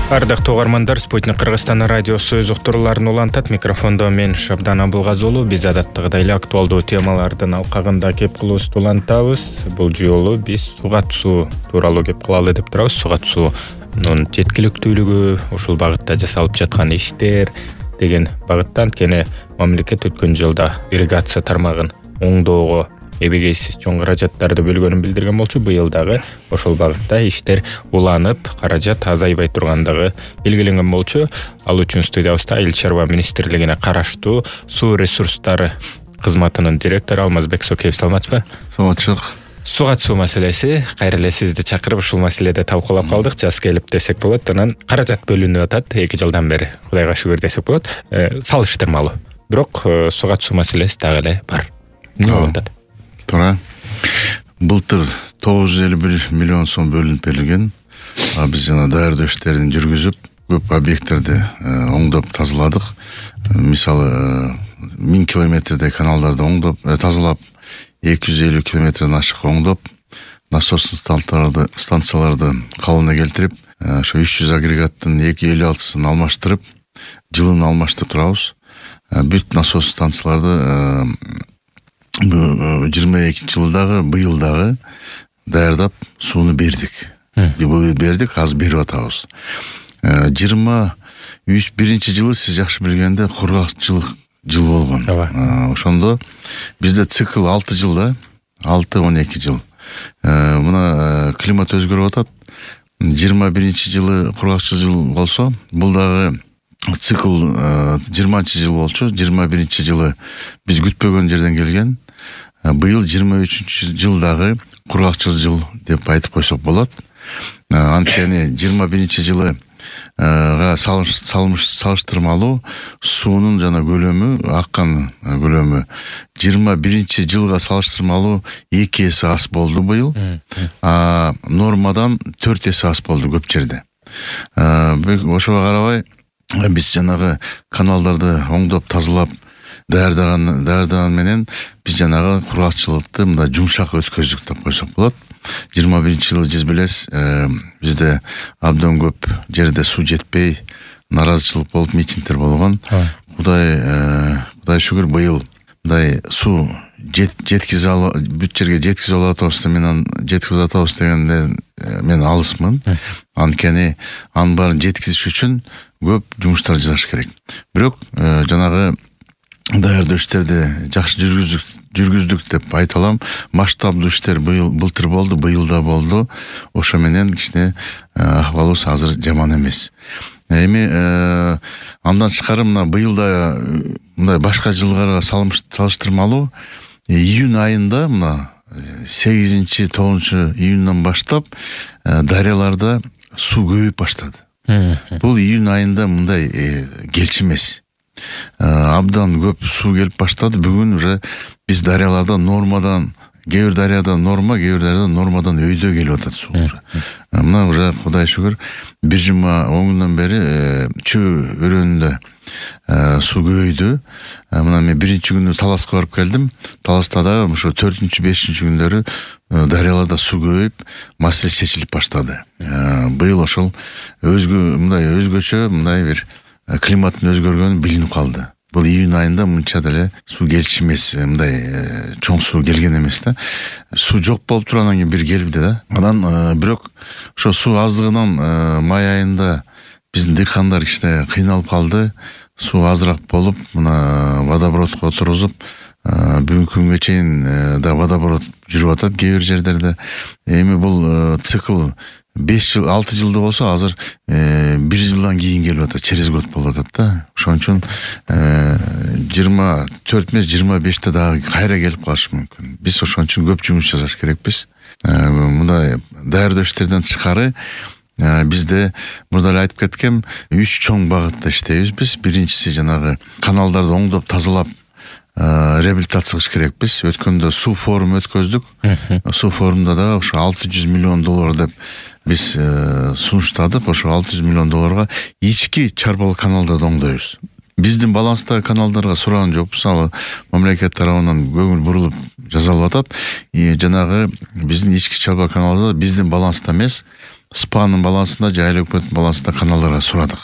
Ардактуу угармандар, Спутник Кыргызстан радиосу өз уктурууларын улантат. Микрофондо мен Шабдан Абылгазыулу. Биз адаттагыдай эле актуалдуу темалардын алкагында кеп кылуубузду улантабыз. Бул жолу биз суга түсүү тууралуу кеп кылалы деп турабыз. Суга түсүүнүн жеткиликтүүлүгү, ушул багытта жасалып жаткан иштер деген багыттан, анткени мамлекет өткөн жылда ирригация тармагын оңдоого эбегейсиз чоң каражаттарды бөлгөнүн билдирген болчу. Быйыл дагы ошол багытта иштер уланып, каражат азайбай тургандыгы белгиленген болчу. Ал үчүн студиябызда Эл чарба министрлигине караштуу суу ресурстары кызматынын директору Алмазбек Сокеев. Саламатсызбы? Саламатчылык. Суга түсүү маселеси, кайра эле сизди чакырып ушул маселеде талкуулап калдык. Жаз келип десек болот. Анан каражат бөлүнүп атат 2 жылдан бери. Кудайга шүгүр десек болот. Салыштырмалуу. Бирок суга түсүү маселеси дагы эле бар. Эмне болуп атат? Туура. Былтыр 951 миллион сом бөлүнүп берилген. Биз жана даярдоо иштерин жүргүзүп, көп объекттерди оңдоп тазаладык. Мисалы 1000 километрдей каналдарды оңдоп, тазалап, 250 километрден ашык оңдоп, насос станцияларды калыбына келтирип, ошо 300 агрегаттын 256-сын алмаштырып, жылын алмаштырып турабыз. Бүт насос станцияларды 22-жылдагы быйыл дагы даярдап сууну бердик. Бердик, азыр берип атабыз. 21-жылы сиз жакшы билгенде кургакчылык жыл болгон. Ошондо бизде цикл 6 жыл да, 6-12 жыл. Мына климат өзгөрүп атат. 21-жылы кургакчыл жыл болсо, бул дагы цикл 20-жыл болчу. 21-жылы биз күтпөгөн жерден келген. Быйыл 23-жылдагы кургакчыл жыл деп айтып койсок болот. Анткени 21-жылы салыштырмалуу суунун жана көлөмү, аккан көлөмү 21-жылга салыштырмалуу 2 эсе аз болду быйыл. Нормадан 4 эсе аз болду көп жерде. Ошого карабай биз жанагы каналдарды оңдоп тазалап даярдаган менен биз жанагы кургакчылыкты мындай жумшак өткөздүк деп койсок болот. 21-жылы сиз билесиз, бизде абдан көп жерде суу жетпей, наразычылык болуп, митингдер болгон. Кудай шүгүр, быйыл мындай суу жеткизе бүт жерге жеткизе алабыз дегенде мен алысмын. Анткени анын баарын жеткизиш үчүн көп жумуштар жасаш керек. Бирок жанагы даярдоо иштерди жакшы жүргүздүк деп айта алам. Масштабдуу иштер былтыр болду, быйыл да болду. Ошо менен кичине акыбалыбыз азыр жаман эмес. Эми андан тышкары мына быйыл да мындай башка жылдарга салыштырмалуу июнь айында, мына 8-9 июньдан баштап дарыяларда суу көбөйүп баштады. Бул июнь айында мындай келчи эмес. Абдан көп суу келип баштады. Бүгүн уже биз дарыяларда нормадан, кээ бир дарыяда норма, кээ бир дарыяда нормадан өйдө келип атат суу. Мына уже Кудай шүгүр 1 жума 10 күндөн бери Чөө өрөөнүндө суу көбөйдү. Мына мен 1-чи күнү Таласка барып келдим. Таласта да ошо 4-5 күндөрү дарыяларда суу көбөйүп, маселе чечилип баштады. Быйыл ошол өзгөчө мындай бир климаттын өзгөргөнү билинип калды. Бул июнь айында мынча деле суу келчи эмес, мындай чоң суу келген эмес да. Суу жок болуп туруп анан кийин бир келди да. Анан бирок ошо суу аздыгынан май айында биздин дыйкандар кичине кыйналып калды. Суу азыраак болуп, мына водопроводко отургузуп, бүгүнкү күнгө чейин да водопровод жүрүп атат кээ бир жерлерде. Эми бул цикл 5 жыл, 6 жылда болсо, азыр 1 жылдан кийин келип атат, через год болуп атат да. Ошон үчүн 24 эмес, 25-те дагы кайра келип калышы мүмкүн. Биз ошон үчүн көп жумуш жасаш керекпиз. Мындай даярдоо иштерден тышкары бизде мурда эле айтып кеткем, 3 чоң багытта иштейбиз биз. Биринчиси жанагы каналдарды оңдоп тазалап реабилитация кылыш керекпиз. Өткөндө суу форум өткөздүк. Суу форумда да ошо $600 миллион деп биз сунуштадык. Ошо $600 миллион ички чарбалык каналдарды оңдойбуз. Биздин баланстагы каналдарга сураган жокпуз. Ал мамлекет тарабынан көңүл бурулуп жасалып атат. Жанагы биздин ички чарба каналда биздин баланста эмес, СПАнын балансында же айыл өкмөттүн балансында каналдарга сурадык.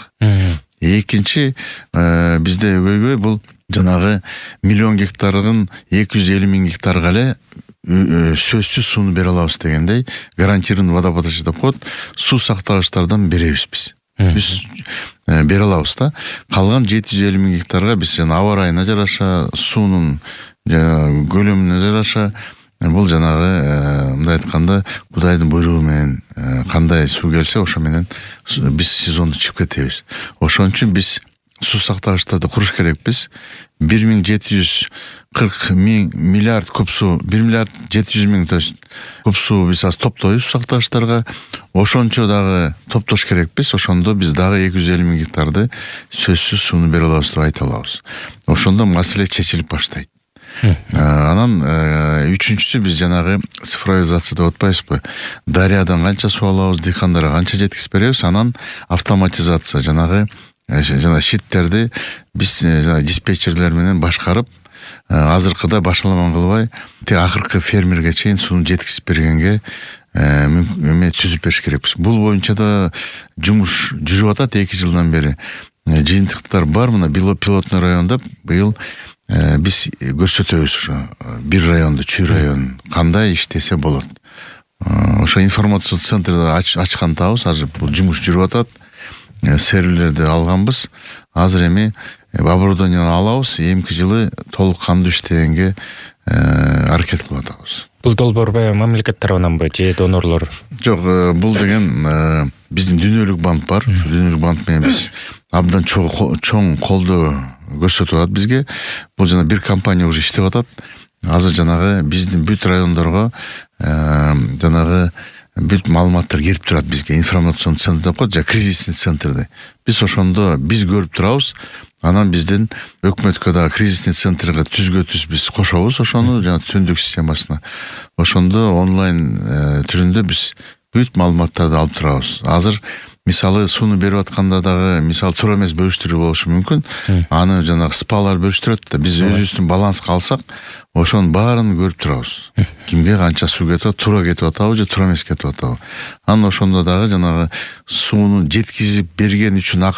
Экинчи бизде көйгөй бул жанагы 1 миллион гектарын 250 000 гектарга эле сөзсүз сууну бере алабыз дегендей гарантированный водоподача деп коет, суу сактагычтардан беребиз биз. Биз бере алабыз да. Калган 750 000 гектарга биз аба ырайына жараша, суунун көлөмүнө жараша, бул жанагы мындай айтканда Кудайдын буйругу менен кандай суу келсе ошо менен биз сезонду чыгып кетебиз. Ошон үчүн биз суу сактагычтарды куруш керекпиз. 1,740 миллиард куб суу, 1,700 000 куб суу биз азыр топтойбуз суу сактагычтарга. Ошончо дагы топтош керекпиз. Ошондо биз дагы 250 000 гектарды сөзсүз сууну бере алабыз деп айта алабыз. Ошондо маселе чечилип баштайт. Анан үчүнчүсү биз жанагы цифровизация деп атпайбызбы? Дарыядан канча суу алабыз, дыйкандарга канча жеткизип беребиз, анан автоматизация жанагы щиттерди биз диспетчерлер менен башкарып, азыркыда башаламан кылбай, акыркы фермерге чейин сууну жеткизип бергенге эме түзүп бериш керекпиз. Бул боюнча да жумуш жүрүп атат 2 жылдан бери. Жыйынтыктар бар. Мына пилотный районда быйыл биз көрсөтөбүз ошо бир районду, Чүй районун кандай иштесе болот. Ошо информациялык центрди ачкантабыз. Азыр бул жумуш жүрүп атат. Серверлерди алганбыз. Азыр эми оборудованияны алабыз. Эмки жылы толук кандуу иштегенге аракет кылып атабыз. Бул долбоор мамлекет тарабынан же донорлор? Жок, бул деген биздин дүйнөлүк банк бар. Дүйнөлүк банк менен биз абдан чоң колдоо көрсөтүп атат бизге. Бул жана бир компания уже иштеп атат. Азыр жанагы биздин бүт райондорго жанагы бүт маалыматтар келип турат бизге. Информационный центр деп коет, же кризисный центрди. Биз ошондо биз көрүп турабыз. Анан биздин өкмөткө да кризисный центрге түз биз кошобуз ошону жана түндүк системасына. Ошондо онлайн түрүндө биз бүт маалыматтарды алып турабыз. Азыр мисалы сууну берип атканда дагы мисалы туура эмес бөлүштүрүү болушу мүмкүн. Аны жанагы СПАлар бөлүштүрөт да, биз өзүбүздүн баланска алсак, ошонун баарын көрүп турабыз. Кимге канча суу кетип, туура кетип атабы же туура эмес кетип атабы. Анан ошондо дагы жанагы сууну жеткизип берген үчүн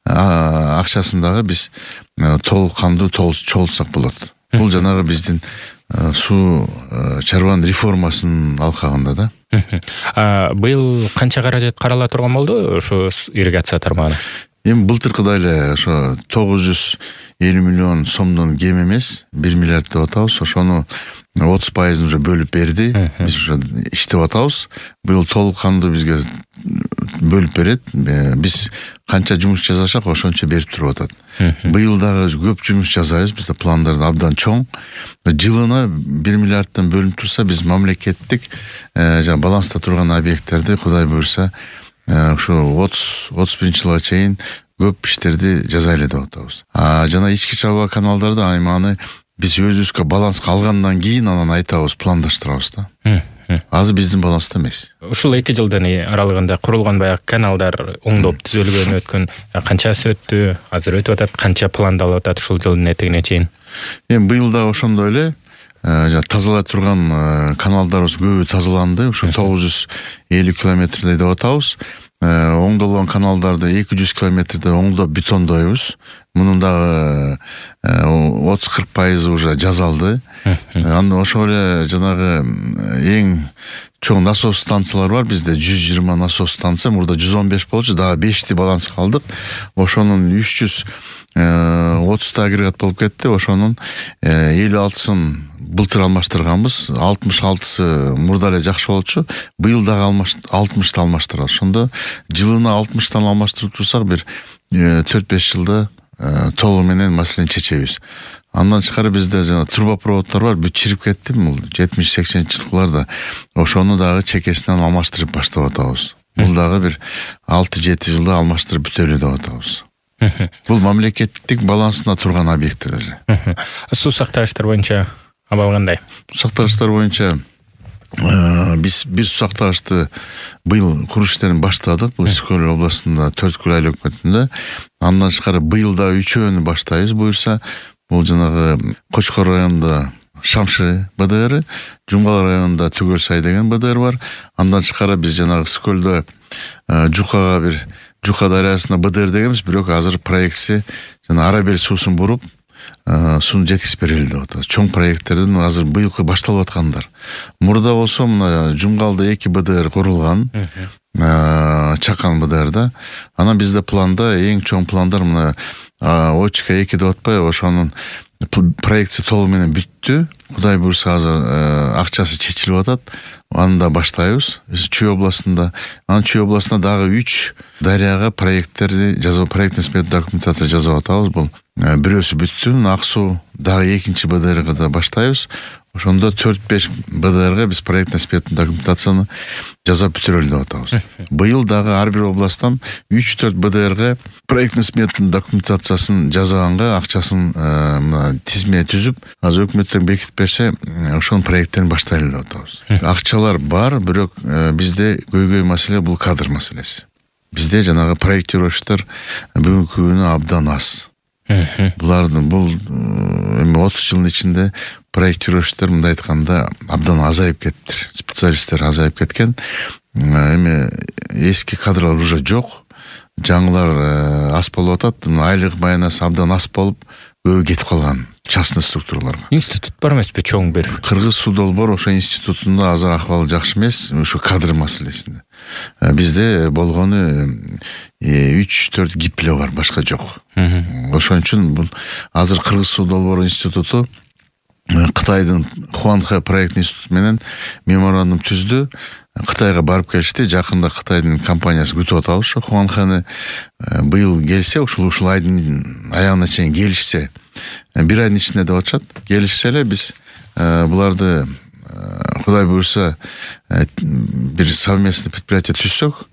акчасын дагы биз толук кандуу чогултсак болот. Бул жанагы биздин суу чарбанын реформасынын алкагында да. Быйыл канча каражат карала турган болду ошо ирригация тармагына? Эми былтыркыдай эле ошо 950 миллион сомдон кем эмес, 1 миллиард деп атабыз. Ошону 30% уже бөлүп берди. Биз уже иштеп атабыз. Быйыл толук кандуу бизге бөлүп берет. Биз канча жумуш жасасак ошончо берип туруп атат. Быйыл дагы көп жумуш жасайбыз. Бизде пландар абдан чоң. Жылына 1 миллиардтан бөлүнүп турса, биз мамлекеттик баланста турган объекттерди Кудай буйрса ушу 30-31 жылга чейин көп иштерди жасайлы деп атабыз. Жана ички чабаа каналдарды айманы биз өзүбүзгө баланска алгандан кийин анан айтабыз, пландаштырабыз да. Азыр биздин баланста эмес. Ушул 2 жылдын аралыгында курулган баягы каналдар оңдоп түзөлгөн өткөн канчасы өттү, азыр өтүп атат, канча пландалып атат ушул жылдын этегине чейин? Эми быйыл да ошондой эле тазалай турган каналдарыбыз көбү тазаланды. Ушу 950 километрдей деп атабыз. Оңдолгон каналдарды 200 километрде оңдоп бетондойбуз. Мунун дагы 30-40% уже жазалды. Анда ошол эле жанагы эң чоң насос станциялар бар бизде, 120 насос станция, мурда 115 болчу, дагы 5ти баланска алдык. Ошонун 330 агрегат болуп кетти. Ошонун 56-сын былтыр алмаштырганбыз. 66-сы мурда эле жакшы болчу. Быйыл дагы 60-ты алмаштырабыз. Ошондо жылына 60-тан алмаштырып турсак, бир 4-5 жылда толугу менен маселени чечебиз. Андан тышкары бизде жана трубопроводдор бар, бүт чирип кетти. 70-80 жылкыларда ошону дагы чекесинен алмаштырып баштап атабыз. Бул дагы бир 6-7 жылда алмаштырып бүтөлү деп атабыз. Бул мамлекеттик балансында турган объекттер эле. Суу сактагычтар боюнча абал кандай? Суу сактагычтар боюнча биз бир суу сактагычты быйыл куруш иштерин баштадык. Бул Ысык-Көл областында, Төрткүл айыл өкмөтүндө. Андан тышкары быйыл да 3-өөнү баштайбыз буюрса. Бул жанагы Кочкор районунда Шамшы БДР, Жумгал районунда Түгөл Сай деген БДР бар. Андан тышкары биз жанагы Скөлдө Жукага бир Жука дарыясына БДР дегенбиз, бирок азыр проектси жана Арабел суусун буруп сууну жеткизип берели деп атабыз. Чоң проекттердин азыр быйылкы башталып аткандар. Мурда болсо мына Жумгалда 2 БДР курулган. Чакан БДРда. Анан бизде планда эң чоң пландар мына Очка 2 деп атпайбы, ошонун проектси толугу менен бүттү. Кудай буйрса азыр акчасы чечилип атат. Аны да баштайбыз. Чүй областында, анан Чүй областында дагы 3 дарыяга проекттерди жазып, проектный смета документация жазып атабыз. Бул бирөөсү бүттү. Ак суу дагы 2-чи БДРга да баштайбыз. Ошондо 4-5 БДРга биз проектный смета документацияны жазап бүтүрөлү деп атабыз. Быйыл дагы ар бир областтан 3-4 БДРга проектный смета документациясын жасаганга акчасын тизме түзүп, азыр өкмөттөн бекитип берсе, ошонун проекттерин баштайлы деп атабыз. Акчалар бар, бирок бизде көйгөй маселе бул кадр маселеси. Бизде жанагы проектировщиктер бүгүнкү күнү абдан аз. Булардын бул эми 30 жылдын ичинде проектировщиктер мындай айтканда абдан азайып кетти. Специалисттер азайып кеткен. Эми эски кадрлар уже жок. Жаңылар аз болуп атат. Айлык майнасы абдан аз болуп, көбү кетип калган частный структураларга. Институт бар эмеспи чоң бир? Кыргыз судолбор ошо институтунда азыр акыбалы жакшы эмес, ошо кадр маселесинде. Бизде болгону 3-4 гипле бар, башка жок. Ошон үчүн бул азыр Кыргыз судолбор институту Кытайдын Хуанхэ проект институту менен меморандум түздү. Кытайга барып келишти. Жакында Кытайдын компаниясы күтүп атабыз. Ошо Хуанхэны быйыл келсе, ушул айдын аягына чейин келишсе, 1 айдын ичинде деп атышат. Келишсе эле биз буларды Кудай буйрса бир совместный предприятие түзсөк,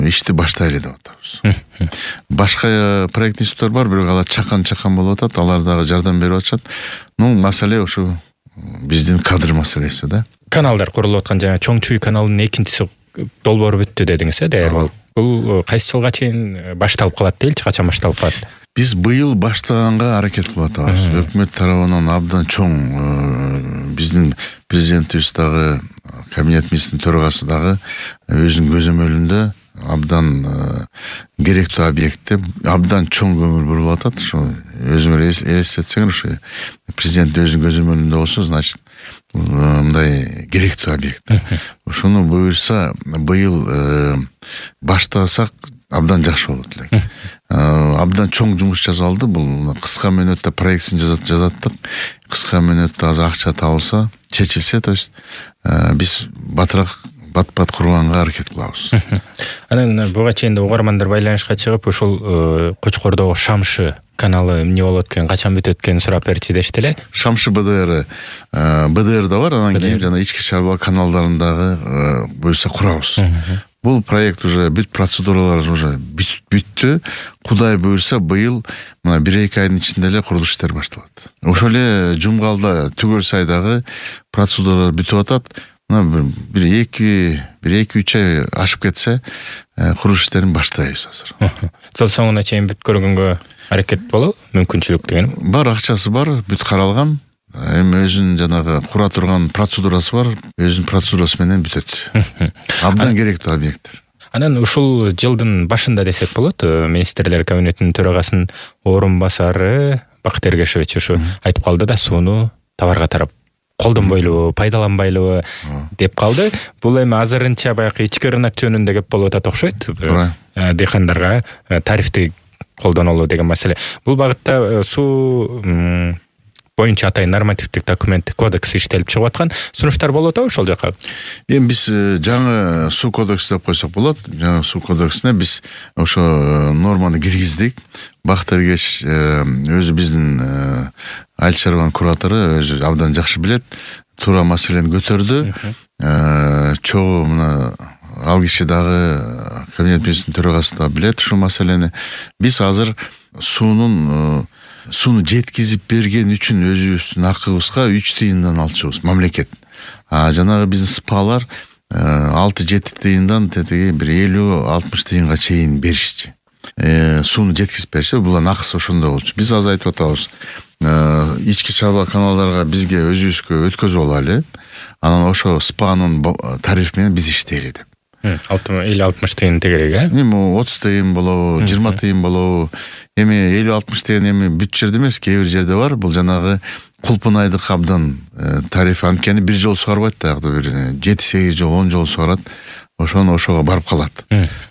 ишти баштайлы деп атабыз. Башка проект институттар бар, бирок алар чакан болуп атат, алар дагы жардам берип атышат. Маселе ошо биздин кадр маселеси да. Каналдар курулуп аткан жана Чоң Чүй каналынын экинчиси долбоору бүттү дедиңиз, даяр. Бул кайсы жылга чейин башталып калат дейли, качан башталып калат? Биз быйыл баштаганга аракет кылып атабыз. Өкмөт тарабынан абдан чоң, биздин президентибиз дагы, кабинет министринин төрагасы дагы өзүнүн көзөмөлүндө абдан керектүү объектте абдан чоң көңүл буруп атат. Ошо өзүңөр элестетсеңер, ошо президент өзүнүн көзөмөлүндө болсо, значит мындай керектүү объект. Ошону буйрса быйыл баштасак абдан жакшы болот элек. Абдан чоң жумуш жасалды. Бул кыска мөөнөттө проектин жазаттык. Кыска мөөнөттө азыр акча табылса, чечилсе, то есть биз батыраак бат курганга аракет кылабыз. Анан буга чейин угармандар байланышка чыгып, ушул Кочкордогу Шамшы каналы эмне болот экен, качан бүтөт экенин сурап берчи дешти эле. Шамшы БДР да бар, анан кийин жана ички чарба каналдарын дагы буйрса курабыз. Бул проект уже бүт процедуралар уже бүттү. Кудай буйрса быйыл мына 1-2 айдын ичинде эле курулуш иштери башталат. Ошол эле Жумгалда Түгөл Сайдагы процедуралар бүтүп атат. Bir 2-3 ай ашып кетсе, курулуш иштерин баштайбыз азыр. Жыл соңуна чейин бүткөргөнгө аракет болобу? Мүмкүнчүлүк деген. Бар, акчасы бар, бүт каралган. Эми өзүнүн жанагы кура турган процедурасы бар, өзүнүн процедурасы менен бүтөт. Абдан керектүү объекттер. Анан ушул жылдын башында десек болот, министрлер кабинетинин төрагасынын орун басары Бакыт Эргешевич ушу айтып калды да, сууну товарга тарап колдонбойлубу, пайдаланбайлыбы деп калды. Бул эми азырынча баягы ички рынок жөнүндө кеп болуп атат окшойт. Дыйкандарга тарифти колдонолу деген маселе. Бул багытта суу боюнча атайын нормативдик документ кодекс иштелип чыгып аткан сунуштар болуп атабы ошол жака? Эми биз жаңы суу кодекси деп койсок болот. Жаңы суу кодексине биз ошо норманы киргиздик. Бакыт Эргеш өзү биздин айыл чарбанын куратору, өзү абдан жакшы билет. Туура маселени көтөрдү. Чогуу мына ал киши дагы кабинет министринин төрагасы да билет ушул маселени. Биз азыр сууну жеткизип берген үчүн өзүбүздүн акыбызга 3 тыйындан алчубуз, мамлекет. Жанагы биздин СПАлар 6-7 тыйындан тетиги бир 50-60 тыйынга чейин беришчи. Сууну жеткизип берсе, булардын акысы ошондой болчу. Биз азыр айтып атабыз, ички чарба каналдарга бизге өзүбүзгө өткөзүп алайлы. Анан ошо СПАнын тарифи менен биз иштейли деп. 50-60 тыйын тегерек, Эми 30 тыйын болобу, 20 тыйын болобу. Эми 50-60 тыйын эми бүт жерде эмес, кээ бир жерде бар. Бул жанагы Кулпунайдык абдан тарифи, анткени бир жолу сугарбайт да, бир 7-8 жол, 10 жол сугарат. Ошого барып калат.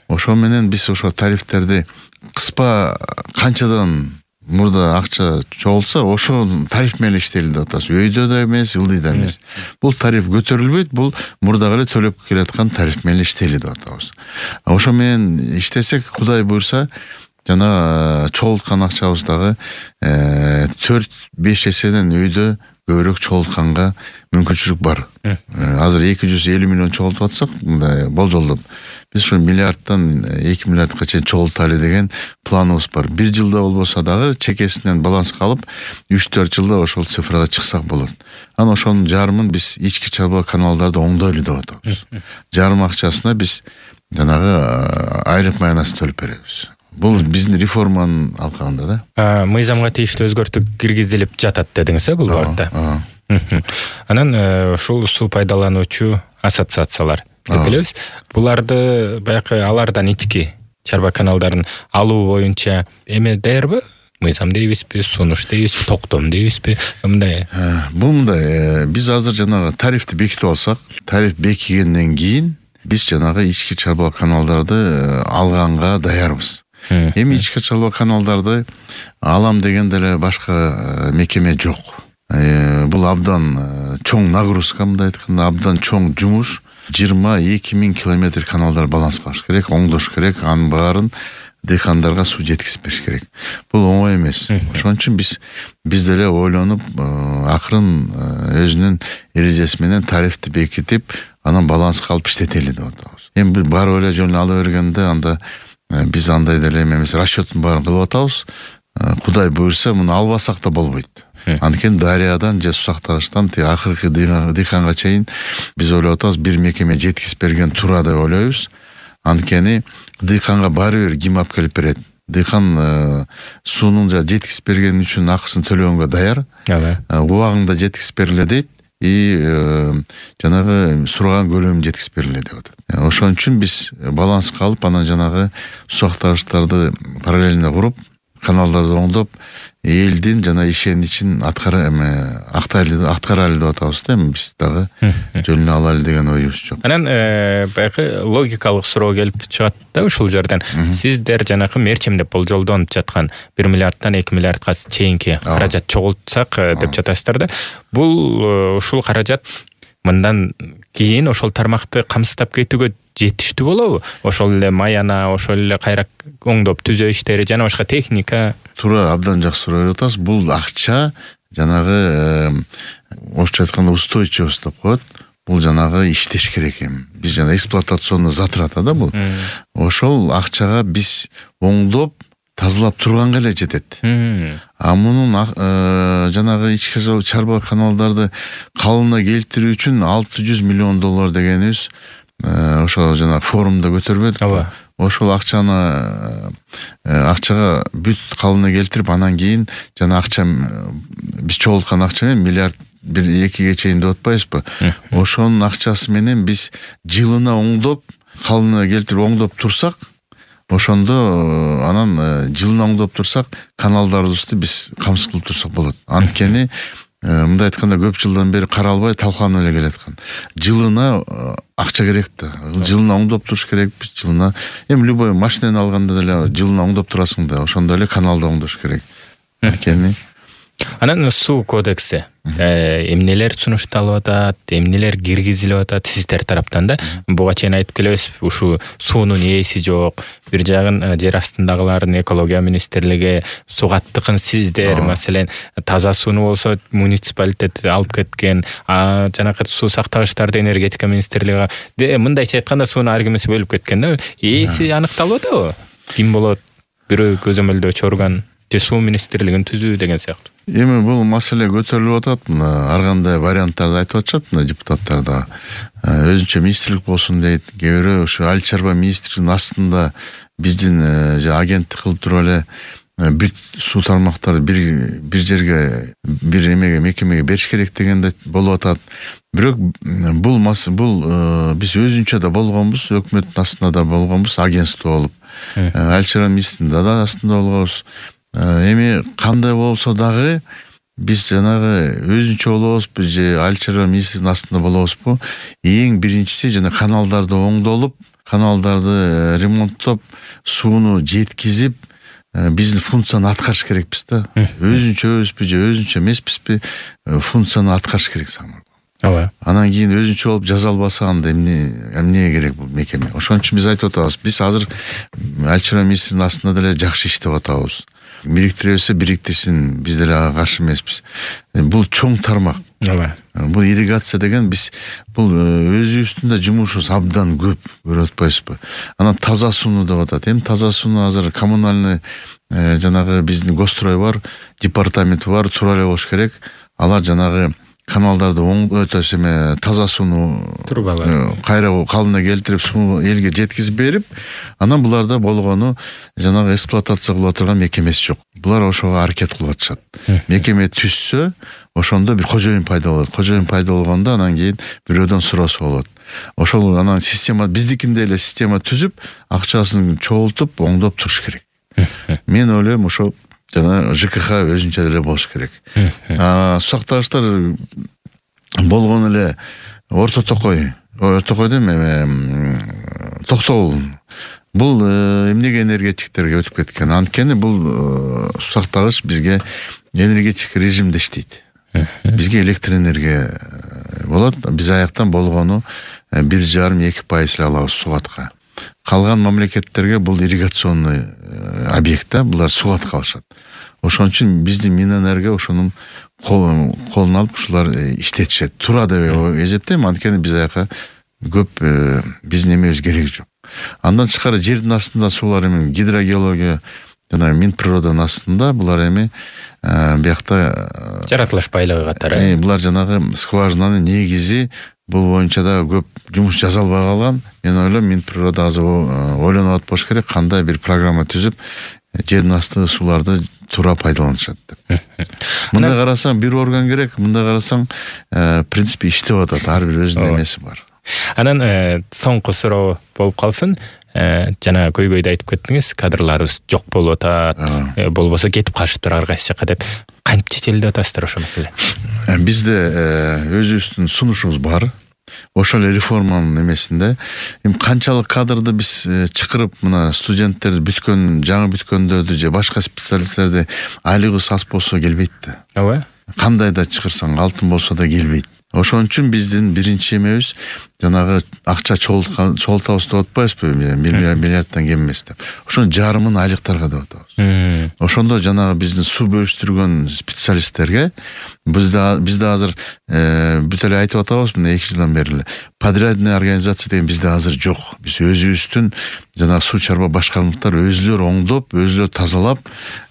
Ошо менен биз ошо тарифтерди кыспа канчадан мурда акча чогулса, ошо тариф менен иштейли деп атабыз. Өйдө да эмес, ылдыйда эмес. Бул тариф көтөрүлбөйт, бул мурдагы эле төлөп келаткан тариф менен иштейли деп атабыз. Ошо менен иштесек, Кудай буйрса, жана чогулткан акчабыз дагы 4-5 эседен өйдө көбүрөөк чогултканга мүмкүнчүлүк бар. Азыр 250 миллион чогултуп атсак, мындай болжолдоп, биз ушу миллиардтан 2 миллиардка чейин чогулталы деген планыбыз бар. Бир жылда болбосо дагы чекесинен баланска алып, 3-4 жылда ошол цифрага чыксак болот. Анан ошонун жарымын биз ички чарба каналдарды оңдойлу деп атабыз. Жарым акчасына биз жанагы айлык маянасы төлөп беребиз. Бул биздин реформанын алкагында да. Мыйзамга тийиштүү өзгөртүү киргизилип жатат дедиңиз, бул багытта. Анан ушул суу пайдалануучу ассоциациялар деп билебиз. Буларды баягы алардан ички чарба каналдарын алуу боюнча эме даярбы? Мыйзам дейбизби, сунуш дейбизби, токтом дейбизби? Мындай. Бул мындай, биз азыр жанагы тарифти бекитип алсак, тариф бекигенден кийин биз жанагы ички чарба каналдарды алганга даярбыз. Эми ички чарба каналдарды алам дегенде эле башка мекеме жок. Бул абдан чоң нагрузка, мындай айтканда абдан чоң жумуш. 22 000 километр каналдар баланс кылыш керек, оңдош керек, анын баарын дыйкандарга суу жеткизип бериш керек. Бул оңой эмес. Ошон үчүн биз деле ойлонуп, акырын өзүнүн эрежеси менен тарифти бекитип, анан баланска алып иштетели деп атабыз. Эми барып эле жөн ала бергенде анда биз андай деле эмес, расчеттун баарын кылып атабыз. Кудай буйрса, муну албасак да болбойт. Анткени дарыядан же сусактагычтан акыркы дыйканга чейин биз ойлоп атабыз, бир мекеме жеткизип берген туура деп ойлойбуз. Анткени дыйканга баары бир ким алып келип берет. Дыйкан суунун жеткизип бергени үчүн акысын төлөгөнгө даяр. Убагында жеткизип бериле дейт. Жанагы сураган көлөмүн жеткизип бериле деп атат. Ошон үчүн биз баланска алып, анан жанагы сусактагычтарды параллельно куруп, каналдарды оңдоп, элдин жана ишеничин аткарайлы деп атабыз да. Эми биз дагы жөнүнө алайлы деген оюбуз жок. Анан баягы логикалык суроо келип чыгат да ушул жерден. Сиздер жанагы мерчемдеп болжолдонуп жаткан 1 миллиардтан 2 миллиардка чейинки каражат чогултсак деп жатасыздар да. Бул ушул каражат мындан кийин ошол тармакты камсыздап кетүүгө жетиштүү болобу? Ошол эле маяна, ошол эле кайра оңдоп түзөө иштери жана башка техника. Туура, абдан жакшы суроо берип атасыз. Бул акча жанагы орусча айтканда устойчивость деп коет. Бул жанагы иштеш керек эми. Биз жана эксплуатационный затрата да бул. Ошол акчага биз оңдоп, тазалап турганга эле жетет. Мунун жанагы ички чарба каналдарды калыбына келтирүү үчүн $600 миллион дегенибиз ошо жана форумда көтөрбөдүк. Ошол акчага бүт калыбына келтирип, анан кийин жана акча биз чогулткан акча менен миллиард 1-2ге чейин деп атпайбызбы? Ошонун акчасы менен биз жылына оңдоп, калыбына келтирип оңдоп турсак, ошондо анан жылына оңдоп турсак, каналдарыбызды биз камсыз кылып турсак болот. Анткени мындай айтканда көп жылдан бери каралбай талкаланып эле келаткан. Жылына акча керек да. Жылына оңдоп туруш керекпиз, жылына. Эми любой машинаны алганда деле жылына оңдоп турасың да, ошондой эле каналды оңдош керек. Анткени анан суу кодекси эмнелер сунушталып атат, эмнелер киргизилип атат сиздер тараптан да? Буга чейин айтып келебиз, ушу суунун ээси жок. Бир жагын жер астындагылардын экология министрлиги, сугаттыкын сиздер, маселен, таза сууну болсо муниципалитет алып кеткен, жанакы суу сактагычтарды энергетика министрлиги, мындайча айтканда сууну ар кимиси бөлүп кеткен да. Ээси аныкталып атабы? Ким болот? Бирөө көзөмөлдөөчү орган же суу министрлигин түзүү деген сыяктуу. Эми бул маселе көтөрүлүп атат. Ар кандай варианттарды айтып атышат депутаттар да. Өзүнчө министрлик болсун дейт, кээ бирөө ушу Айыл чарба министрлигинин астында биздин агенттик кылып туруп эле бүт суу тармактарды бир жерге, бир мекемеге бериш керек деген да болуп атат. Бирок бул биз өзүнчө да болгонбуз, өкмөттүн астында да болгонбуз, агентство болуп. Алчара министринин да астында болгонбуз. Эми кандай болсо дагы биз жанагы өзүнчө болобузбу же Алчара министринин астында болобузбу? Эң биринчиси жана каналдарды оңдолуп, каналдарды ремонттоп, сууну жеткизип, биздин функцияны аткарыш керекпиз да. Өзүнчөбүзбү же өзүнчө эмеспизби, функцияны аткарыш керек самар. Ооба. Анан кийин өзүнчө болуп жаза албаса анда эмне керек бул мекеме? Ошон үчүн биз айтып атабыз. Биз азыр Алчара министринин астында деле жакшы иштеп атабыз. Бириктире берсе бириктирсин, биз деле ага каршы эмеспиз. Бул чоң тармак. Ооба. Бул ирригация деген бул өзүбүздүн да жумушубуз абдан көп, көрүп атпайсызбы? Анан таза сууну деп атат. Эми таза сууну азыр коммунальный жанагы биздин Госстрой бар, департамент бар, тура эле болуш керек. Алар жанагы каналдарды таза сууну кайра калыбына келтирип, сууну элге жеткизип берип, анан буларда болгону жанагы эксплуатация кылып турган мекемеси жок. Булар ошого аракет кылып атышат. Мекеме түзсө, ошондо бир кожоюн пайда болот. Кожоюн пайда болгондо анан кийин бирөөдөн суроосу болот. Ошол анан система, биздикиндей эле система түзүп, акчасын чогултуп, оңдоп туруш керек. Мен ойлойм ошол жана ЖКХ өзүнчө деле болуш керек. Сактагычтар болгон эле Орто Токой эме Токтогул. Бул эмнеге энергетиктерге өтүп кеткен? Анткени бул сактагыч бизге энергетик режимде иштейт. Бизге электр энергия болот. Биз аяктан болгону 1,5-2% эле алабыз Сугатка. Калган мамлекеттерге бул ирригационный объект да, булар Сугатка алышат. Ошон үчүн биздин Минэнерго ошонун колун алып ушулар иштетишет. Тура деп эсептейм, анткени биз аяка көп биздин эмебиз кереги жок. Андан тышкары жердин астында суулар эми гидрогеология жана Минприродонун астында булар эми биякта жаратылыш байлыгы катары. Булар жанагы скважинанын негизи, бул боюнча да көп жумуш жасалбай калган. Мен ойлойм, Минприрода азыр ойлонуп атпаш керек, кандай бир программа түзүп, жердин асты сууларды туура пайдаланышат деп. Мындай карасаң бир орган керек, мындай карасаң в принципе иштеп атат, ар бир өзүнүн эмеси бар. Анан соңку суроо болуп калсын. Жана көйгөйдө айтып кеттиңиз, кадрларыбыз жок болуп атат, болбосо кетип калышыптыр ар кайсы жака деп. Кантип чечилди атасыздар ошол маселе? Бизде өзүбүздүн сунушубуз бар. Ошол реформанын эмесинде эми канчалык кадрды биз чакырып, мына студенттерди бүткөн, жаңы бүткөндөрдү же башка специалисттерди айлыгыбыз аз болсо келбейт да. Ооба. Кандай да чакырсаң, алтын болсо да келбейт. Ошон үчүн биздин биринчи эмебиз жанагы акча чогултабыз деп атпайбызбы, миллиардтан кем эмес деп. Ошонун жарымын айлыктарга деп атабыз. Ошондо жанагы биздин суу бөлүштүргөн специалисттерге бизде азыр бүт эле айтып атабыз, мына 2 жылдан бери эле подрядный организация деген бизде азыр жок. Биз өзүбүздүн жанагы суу чарба башкармалыктар өзүлөр оңдоп, өзүлөр тазалап,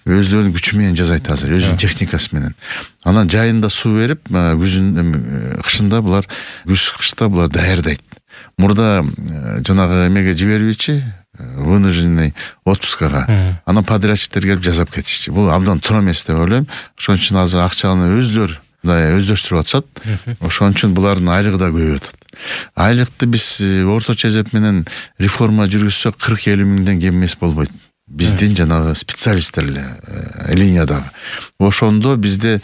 өзүлөрүнүн күчү менен жасайт азыр, өзүнүн техникасы менен. Анан жайында суу берип, кышында булар, кышта булар даярдайт. Мурда жанагы эмеге жибербейчи, вынужденный отпускага. Анан подрядчиктер келип жасап кетишчи. Бул абдан туура эмес деп ойлойм. Ошон үчүн азыр акчаны өзүлөр өздөштүрүп атышат. Ошон үчүн булардын айлыгы да көбөйүп атат. Айлыкты биз орточо эсеп менен реформа жүргүзсөк 40-50 миңден кем эмес болбойт. Биздин жанагы специалисттер линиядагы. Ошондо бизде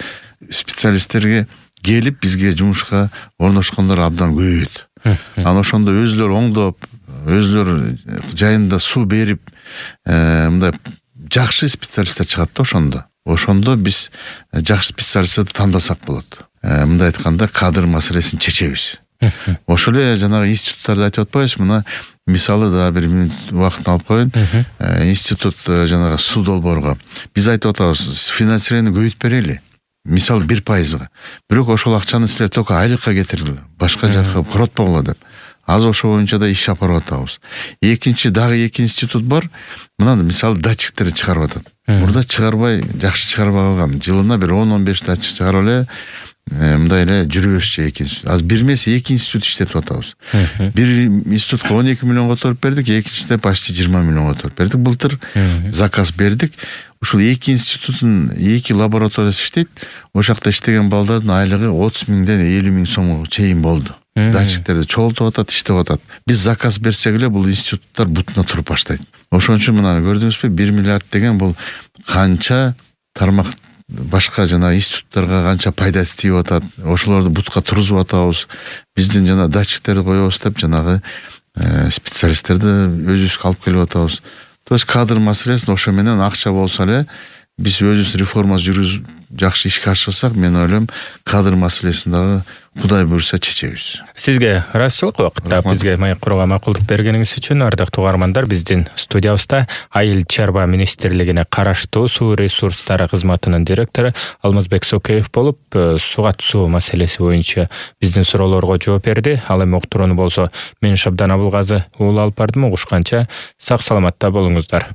специалисттерге келип бизге жумушка орношкондор абдан көбөйөт. Анан ошондо өзүлөр оңдоп, өзүлөр жайында суу берип, мындай жакшы специалисттер чыгат да ошондо биз жакшы специалисттерди тандасак болот. Мындай айтканда кадр маселесин чечебиз. Ошол эле жанагы институттарды айтып атпайбыз, мына мисалы да бир мүнөт убактын алып коеюн. Институт жанагы суу долбоорго биз айтып атабыз, финансирование көбөйтүп берели. Мисалы 1%. Бирок ошол акчаны силер только айлыкка кетиргиле, башка жакка коротпогула деп. Азыр ошол боюнча да иш чапарып атабыз. Дагы эки институт бар. Мына мисалы датчиктерди чыгарып атат. Мурда чыгарбай, жакшы чыгарбай калган. Жылына бир 10-15 датчик чыгарып эле, мындай эле жүрө беришчи эки институт. Азыр бир эмес эки институт иштетип атабыз. Бир институтка 12 миллион которуп бердик, экинчисине почти 20 миллион которуп бердик. Былтыр заказ бердик. Ушул эки институттун эки лабораториясы иштейт. Ошол жакта иштеген балдардын айлыгы 30 миңден 50 миң сомго чейин болду. Датчиктерди чогултуп атат, иштеп атат. Биз заказ берсек эле бул институттар бутуна туруп баштайт. Ошон үчүн мына көрдүңүзбү, 1 миллиард деген бул канча тармак башка жана институттарга канча пайда тийип атат. Ошолорду бутка тургузуп атабыз. Биздин жана датчиктерди коебуз деп жанагы специалисттерди өзүбүзгө алып келип атабыз. То есть кадр маселесин ошо менен акча болсо эле биз өзүбүз реформа жүргүзүп жакшы ишке ашырсак, мен ойлойм кадр маселесин дагы Кудай буйрса чечебиз. Сизге ыраазычылык убакытта бизге маек курууга макулдук бергениңиз үчүн. Ардактуу угармандар, биздин студиябызда Айыл чарба министрлигине караштуу суу ресурстары кызматынын директору Алмазбек Сокеев болуп, сугат суу маселеси боюнча биздин суроолорго жооп берди. Ал эми уктурууну болсо мен Шабдан Абылгазы уулу алып бардым. Угушканча сак саламатта болуңуздар.